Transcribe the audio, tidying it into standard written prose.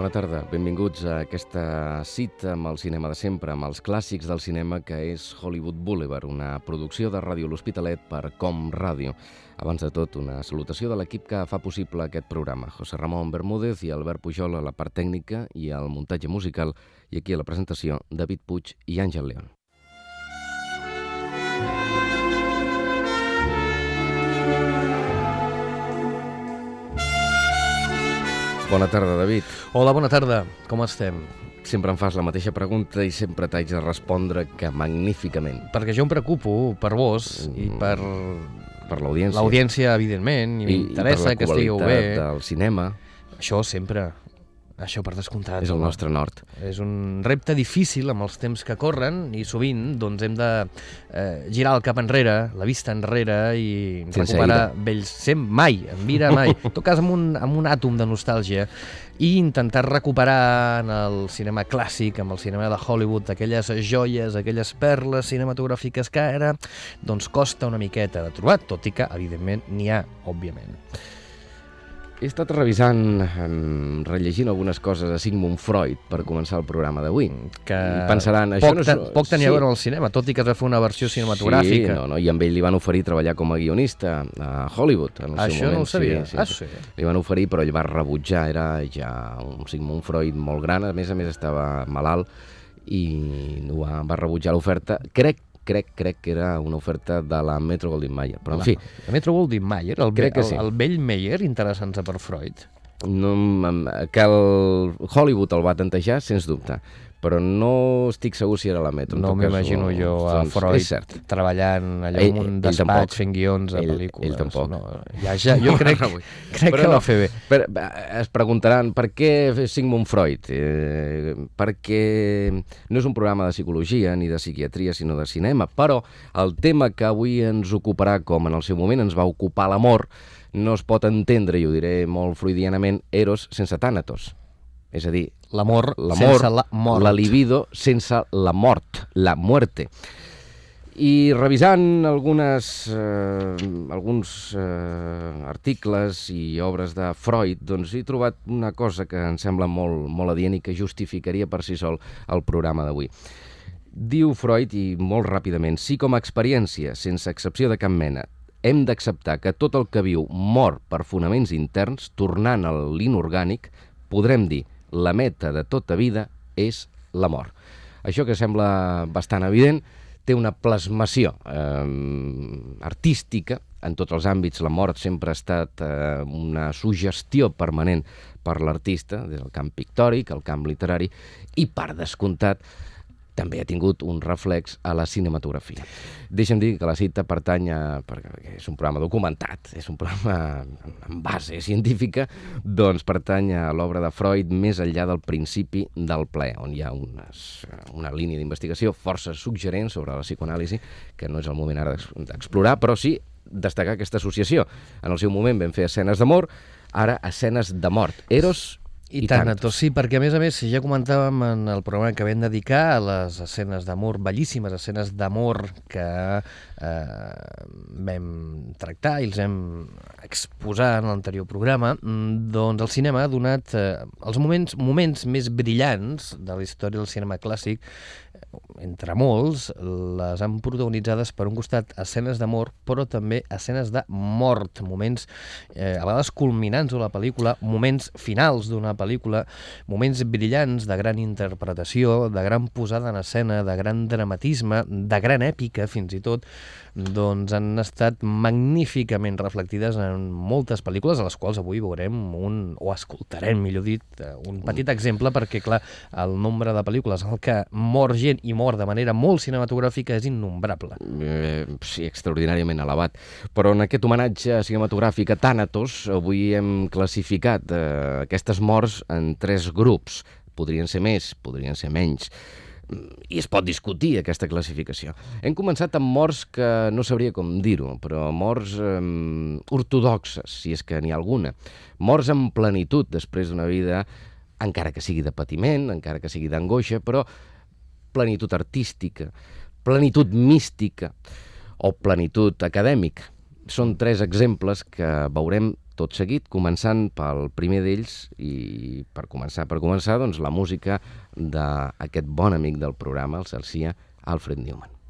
Bona tarda, benvinguts a aquesta cita amb el cinema de sempre, amb els clàssics del cinema que és Hollywood Boulevard, una producció de Ràdio L'Hospitalet per Com Ràdio. Abans de tot, una salutació de l'equip que fa possible aquest programa. José Ramón Bermúdez i Albert Pujol a la part tècnica i al muntatge musical, i aquí a la presentació, David Puig i Àngel León. Bona tarda, David. Hola, bona tarda. Com estem? Sempre em fas la mateixa pregunta i sempre t'haig de respondre que magníficament. Perquè jo em preocupo per vos i per l'audiència. L'audiència, evidentment, i m'interessa que estigueu bé. I per la qualitat del cinema. Això sempre. Això per descomptat. És el nostre nord. És un repte difícil amb els temps que corren i sovint doncs, hem de girar el cap enrere, la vista enrere i recuperar vells... Mai, en vida mai. En tot cas amb un àtom de nostàlgia i intentar recuperar en el cinema clàssic, amb el cinema de Hollywood, aquelles joies, aquelles perles cinematogràfiques que ara doncs, costa una miqueta de trobar, tot i que, evidentment, n'hi ha, òbviament. He estat revisant, rellegint algunes coses de Sigmund Freud per començar el programa d'avui. Que pensaran, poc tenia a veure amb el cinema, tot i que es va fer una versió cinematogràfica. Sí, i amb ell li van oferir treballar com a guionista a Hollywood en el seu moment. Això no ho sabia. Sí. Li van oferir, però ell va rebutjar, era ja un Sigmund Freud molt gran, a més estava malalt i va rebutjar l'oferta. Crec que era una oferta de la Metro-Goldwyn-Mayer, però en fi... La Metro-Goldwyn-Mayer, el vell Mayer, interessant-se per Freud? Que el Hollywood el va tantejar, sens dubte, però no estic segur si era la Metro. No m'imagino jo a Freud treballant allà en un despatx fent guions a pel·lícules. Ell tampoc. Jo crec que va fer bé. Es preguntaran per què Sigmund Freud? Perquè no és un programa de psicologia ni de psiquiatria, sinó de cinema, però el tema que avui ens ocuparà, com en el seu moment ens va ocupar l'amor, no es pot entendre, i ho diré molt freudianament, Eros sense Thanatos. És a dir, l'amor sense la mort. La libido sense la mort, la muerte. I revisant alguns articles i obres de Freud, doncs he trobat una cosa que em sembla molt adient i que justificaria per si sol el programa d'avui. Diu Freud, i molt ràpidament, si com a experiència, sense excepció de cap mena, hem d'acceptar que tot el que viu mor per fonaments interns, tornant a l'inorgànic, podrem dir la meta de tota vida és la mort. Això que sembla bastant evident té una plasmació artística en tots els àmbits. La mort sempre ha estat una suggestió permanent per l'artista, des del camp pictòric, el camp literari, i per descomptat també ha tingut un reflex a la cinematografia. Deixa'm dir que la cita pertany perquè és un programa documentat, és un programa amb base científica, doncs pertany a l'obra de Freud Més enllà del principi del plaer, on hi ha una línia d'investigació força suggerent sobre la psicoanàlisi, que no és el moment ara d'explorar, però sí destacar aquesta associació. En el seu moment vam fer escenes d'amor, ara escenes de mort. Eros i Thanatos. Sí, perquè a més, ja comentàvem en el programa que vam dedicar a les escenes d'amor, bellíssimes escenes d'amor que vam tractar i els hem exposat en l'anterior programa, doncs el cinema ha donat els moments més brillants de la història del cinema clàssic, entre molts, les han protagonitzades per un costat escenes d'amor, però també escenes de mort, moments a vegades culminants de la pel·lícula, moments finals d'una pel·lícula, moments brillants de gran interpretació, de gran posada en escena, de gran dramatisme, de gran èpica fins i tot, doncs han estat magníficament reflectides en moltes pel·lícules, a les quals avui veurem o escoltarem, millor dit, un petit exemple, perquè, clar, el nombre de pel·lícules en què mor gent i mor de manera molt cinematogràfica és innombrable. Sí, extraordinàriament elevat. Però en aquest homenatge cinematogràfic a Thanatos, avui hem classificat aquestes morts en 3 grups. Podrien ser més, podrien ser menys. I es pot discutir aquesta classificació. Hem començat amb morts que no sabria com dir-ho, però morts ortodoxes, si és que n'hi ha alguna. Morts en plenitud després d'una vida, encara que sigui de patiment, encara que sigui d'angoixa, però plenitud artística, plenitud mística o plenitud acadèmica. són 3 exemples que veurem tot seguit, començant pel primer d'ells i per començar, doncs, la música d'aquest bon amic del programa, el celsià Alfred Newman.